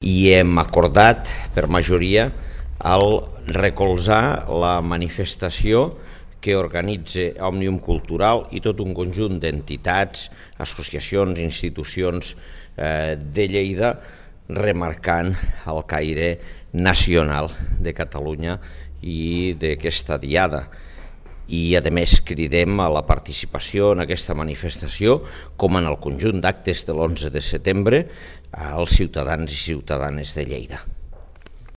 i hem acordat per majoria el recolzar la manifestació que organitza Òmnium Cultural i tot un conjunt d'entitats, associacions, institucions de Lleida, remarcant el caire nacional de Catalunya i d'aquesta diada. I a més cridem a la participació en aquesta manifestació, com en el conjunt d'actes de l'11 de setembre, als ciutadans i ciutadanes de Lleida.